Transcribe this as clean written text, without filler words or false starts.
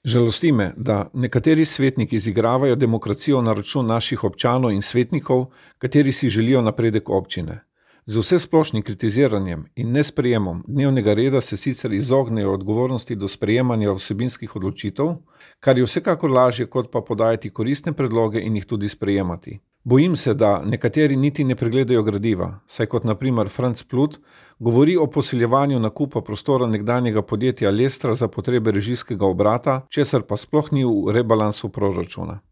Žalosti me, da nekateri svetniki izigravajo demokracijo na račun naših občanov in svetnikov, kateri si želijo napredek občine. Z vsesplošnim kritiziranjem in nesprejemom dnevnega reda se sicer izognejo odgovornosti do sprejemanja vsebinskih odločitev, kar je vsekakor lažje, kot pa podajati koristne predloge in jih tudi sprejemati. Bojim se, da nekateri niti ne pregledajo gradiva, saj kot na primer Franc Plut govori o posiljevanju nakupa prostora nekdanjega podjetja Lestra za potrebe režijskega obrata, česar pa sploh ni v rebalansu proračuna.